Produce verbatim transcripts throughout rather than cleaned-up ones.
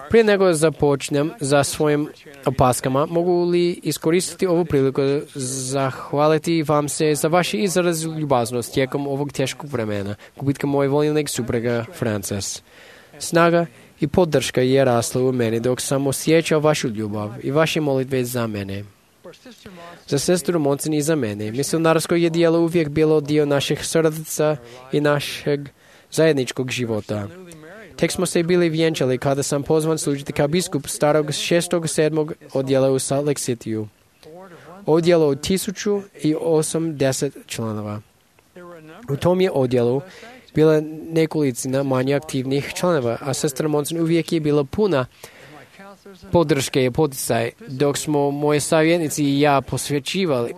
Prije nego započnem za svojim opaskama, mogu li iskoristiti ovu priliku zahvaliti vam se za vaš izraz ljubaznost tijekom ovog teškog vremena, gubitka moje voljenog supruga Frances. Snaga i podrška je rasla u meni dok sam osjećao vašu ljubav i vaše molitve za mene. Za sestru Monson i za mene, misionarsko je djelo uvijek bilo dio naših srca i našeg zajedničkog života. Tek smo se bili vjenčali kada sam pozvan služiti kao biskup starog šestog sedmog odjela u Salt Lake Cityu. Odjelo od tisuću i osamdeset članova. U tom je odjelu bila nekolicina manje aktivnih članova, a sestra Monson uvijek je bila puna podrške i poticaj, dok smo moji savjetnici i ja posvećivali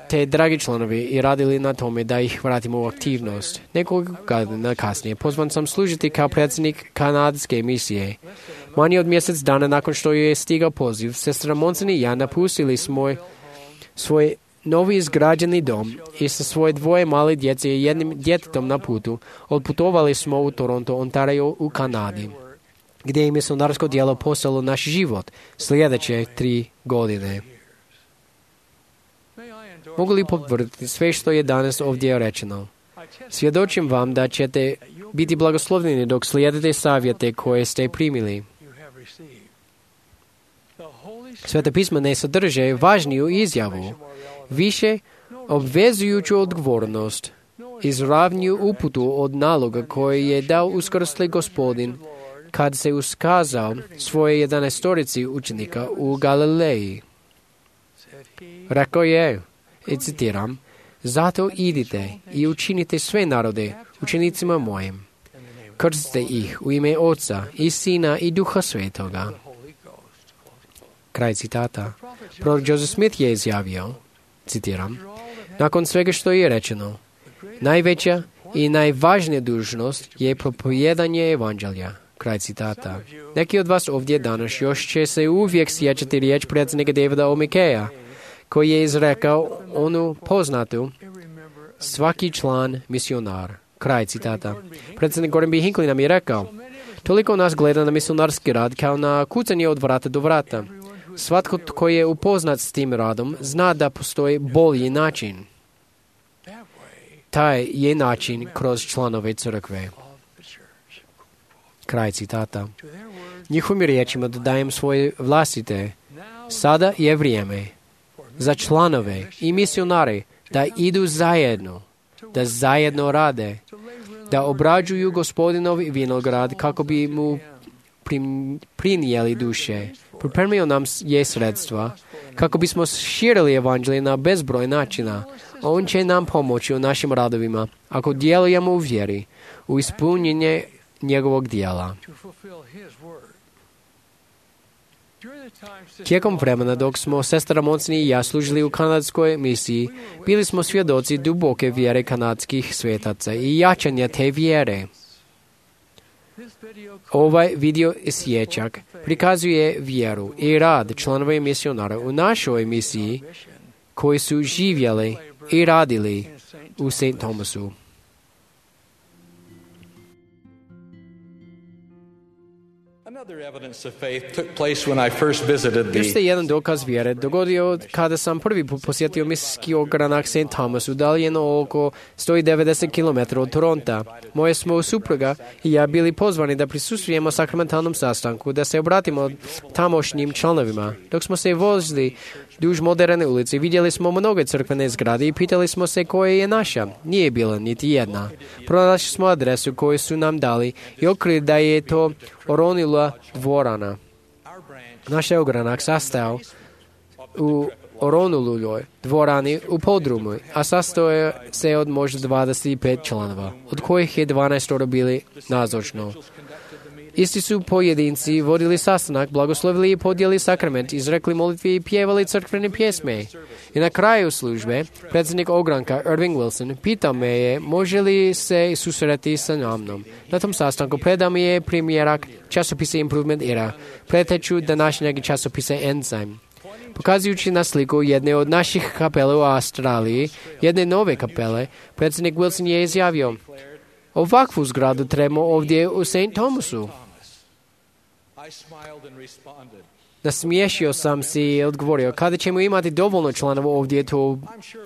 te dragi članovi i radili na tome da ih vratimo u aktivnost. Nekoliko godina kasnije pozvan sam služiti kao predsjednik kanadske misije. Manje od mjesec dana nakon što je stigao poziv, sestra Monson i ja napustili smo svoj novi izgrađeni dom i sa svoje dvoje male djece i jednim djetetom na putu odputovali smo u Toronto, Ontario u Kanadi, gdje je misionarsko djelo postalo naš život sljedeće tri godine. Mogu li potvrditi sve što je danas ovdje rečeno? Svjedočim vam da ćete biti blagoslovljeni dok slijedite savjete koje ste primili. Sveta pisma ne sadrže važniju izjavu, više obvezujuću odgovornost, izravniju uputu od naloga koje je dao uskrsli Gospodin kad se uskazao svoje jedanaestorici učenika u Galileji. Rekao je, i citiram, zato idite i učinite sve narode učenicima mojim. Krstite ih u ime Oca i Sina i Duha Svetoga. Kraj citata. Prorok Joseph Smith je izjavio, citiram, nakon svega što je rečeno, najveća i najvažnija dužnost je propovijedanje evanđelja. Kraj citata. Neki od vas ovdje danas još će se uvijek sjećati riječ predsjednika Davida O. McKaya, koji je izrekao onu poznatu svaki član misionar. Kraj citata. Predsjednik Gordon B. Hinckley nam je rekao, toliko nas gleda na misionarski rad kao na kucanje od vrata do vrata. Svatko tko je upoznat s tim radom zna da postoji bolji način. Taj je način kroz članove crkve. Kraj citata. Njihovim riječima dodajem svoje vlastite. Sada je vrijeme za članove i misionare da idu zajedno, da zajedno rade, da obrađuju Gospodinov vinograd kako bi mu prinijeli duše. Pripremio nam je sredstva kako bismo širili evanđelje na bezbroj načina. On će nam pomoći u našim radovima ako djelujemo u vjeri, u ispunjenje njegovog dijela. Tijekom vremena dok smo sestra Monson i ja služili u kanadskoj misiji, bili smo svjedoci duboke vjere kanadskih svetaca i jačanja te vjere. Ovaj video isječak prikazuje vjeru i rad članova misionara u našoj misiji koji su živjeli i radili u Saint Thomasu. Još se jedan dokaz vjere dogodio kada sam prvi put posjetio misijski ogranak Saint Thomas udaljeno oko sto devedeset kilometara od Toronta. Moje smo supruga i ja bili pozvani da prisustvujemo sakramentalnom sastanku, da se obratimo tamošnjim članovima. Dok smo se vozili duž moderne ulice, vidjeli smo mnoge crkvene zgrade i pitali smo se koja je naša. Nije bila niti jedna. Pronašli smo adresu koju su nam dali i otkrili da je to Oronula dvorana. Naš ogranak sastao u Oronulujoj dvorani u podrumu, a sastoje se od možda dvadeset pet članova, od kojih je dvanaest bili nazočno. Isti su pojedinci vodili sastanak, blagoslovili i podijeli sakrament, izrekli molitve i pjevali crkvene pjesme. I na kraju službe, predsjednik ogranka Irving Wilson pitao me je može li se susreti sa mnom. Na tom sastanku predao mi je primjerak časopisa Improvement Era, preteču današnjeg časopisa Enzyme. Pokazujući na sliku jedne od naših kapela u Australiji, jedne nove kapele, predsjednik Wilson je izjavio, ovakvu zgradu trebamo ovdje u Saint Thomasu. Nasmiješio sam se i odgovorio, kada ćemo imati dovoljno članova ovdje to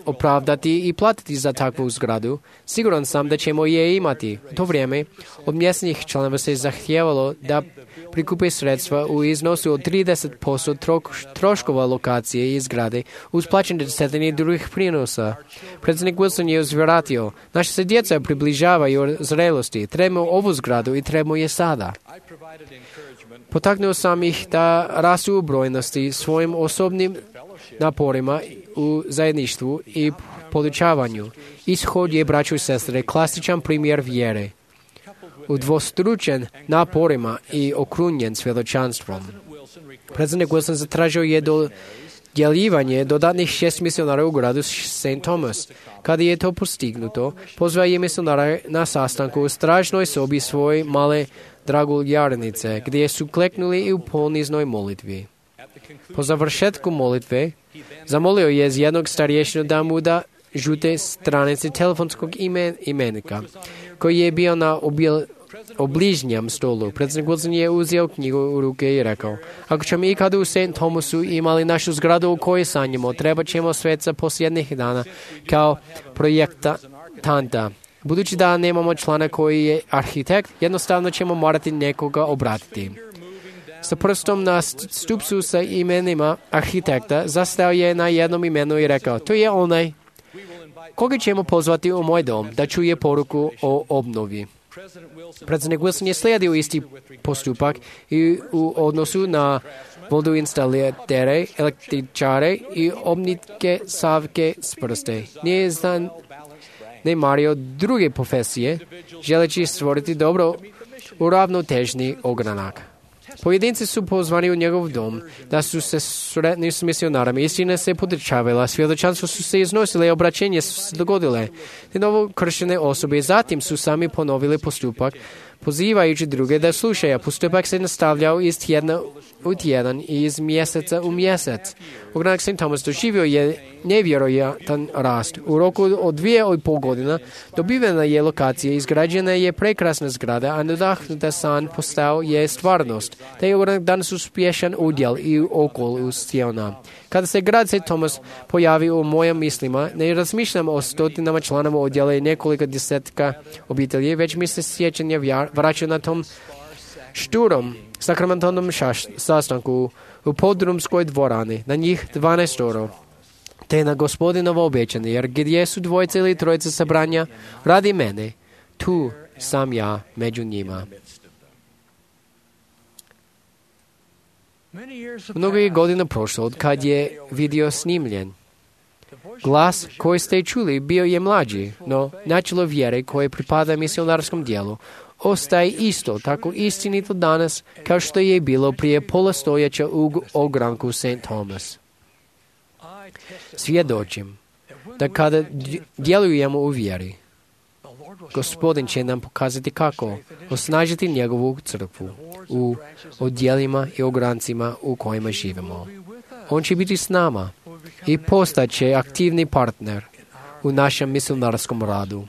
opravdati i platiti za takvu zgradu, siguran sam da ćemo je imati. U to vrijeme od mjesnih članova se zahtijevalo da prikupe sredstva u iznosu od trideset posto troškova lokacije i zgrade uz plaćanje desetine drugih prinosa. Predsjednik Wilson je uzvratio, naša se djeca približavaju zrelosti, trebamo ovu zgradu i trebamo je sada. Potaknuo sam ih da rastu u brojnosti svojim osobnim naporima u zajedništvu i podučavanju. Ishod je, braćo i sestre, klasičan primjer vjere. Udvostručen naporima i okrunjen svjedočanstvom. Predsjednik Wilson zatražio je dodjeljivanje dodatnih šest misionara u gradu Saint Thomas. Kada je to postignuto, pozvao je misionara na sastanku u stražnoj sobi svoje male draguljarnice, gdje su kleknuli i u poniznoj molitvi. Po završetku molitve, zamolio je jednog starješinu da mu da žute stranice telefonskog imen, imenika, koji je bio na obil, obližnjem stolu. Predsjednik Wilson je uzeo knjigu u ruke i rekao, ako ćemo ikada u Saint Thomasu imali našu zgradu u kojoj sanjamo, treba ćemo sveca posljednjih dana kao projektanta. Budući da nemamo člana koji je arhitekt, jednostavno ćemo morati nekoga obratiti. Sa prstom na stupcu sa imenima arhitekta zastao je na jednom imenu i rekao, to je onaj koga ćemo pozvati u moj dom da čuje poruku o obnovi. Predsjednik Wilson je slijedio isti postupak i u odnosu na vodoinstalatere, električare i obnitke savke s prste. Nije zan ne mario druge profesije, želeći stvoriti dobro uravnotežni ogranak. Pojedinci su pozvani u njegov dom, da su se sretni s misionarama. Istina se podrčavala, svjedočanstvo su se iznosile, obraćenje su se dogodile. Te novo krštene osobe zatim su sami ponovili postupak, pozivajući druge da slušaju. Postupak se nastavljao iz tjedna u tjedan i iz mjeseca u mjesec. Ogranak Saint Thomas doživio je nevjerojatan rast. U roku od dvije i pol godina dobivena je lokacija, izgrađena je prekrasna zgrada, a nadahnuta san postao je stvarnost. Te je ogranak danas uspješan udjel i okol Siona. Kada se grad Saint Thomas pojavi u mojim mislima, ne razmišljam o stotinama članova odjela i nekoliko desetka obitelji, već mi se sjećanje vraća na tom šturom sakramentalnom sastanku u podrumskoj dvorani, na njih dvanaestoro, te na Gospodinovo obećanje, jer gdje su dvojice ili trojice sabranja radi mene, tu sam ja među njima. Mnogo je godina prošlo od kad je video snimljen. Glas koji ste čuli bio je mlađi, no načelo vjere koje pripada misionarskom dijelu ostaje isto, tako istinito danas kao što je bilo prije pola stoljeća u ogranku Saint Thomas. Svjedočim da kada djelujemo u vjeri, Gospodin će nam pokazati kako osnažiti njegovu crkvu u odjelima i ograncima u kojima živimo. On će biti s nama i postaće aktivni partner u našem misionarskom radu.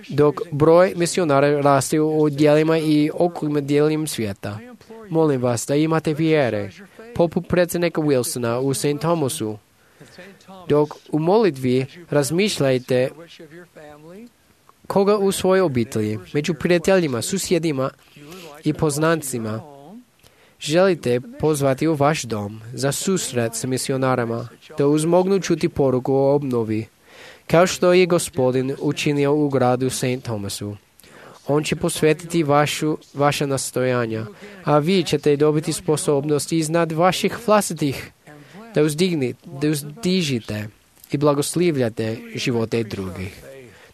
Dok broj misionara raste u odjelima i okolima dijelima svijeta, molim vas da imate vjere, poput predsjednika Wilsona u Saint Thomasu. Dok u molitvi razmišljajte koga u svojoj obitelji, među prijateljima, susjedima i poznancima želite pozvati u vaš dom za susret s misionarama, da uzmognu čuti poruku o obnovi, kao što je Gospodin učinio u gradu Saint Thomasu. On će posvetiti vašu, vaša nastojanja, a vi ćete dobiti sposobnost iznad vaših vlastitih da, uzdigni, da uzdižite i blagoslivljate živote drugih.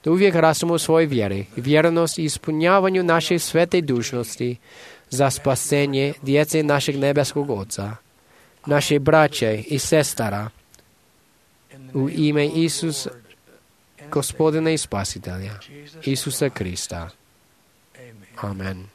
Da uvijek rastemo u svojoj vjeri, vjernost i ispunjavanju naše svete dužnosti za spasenje djece našeg nebeskog Oca, naše braće i sestara, u ime Isusa, Gospodina i Spasitelja, Isusa Krista. Amen.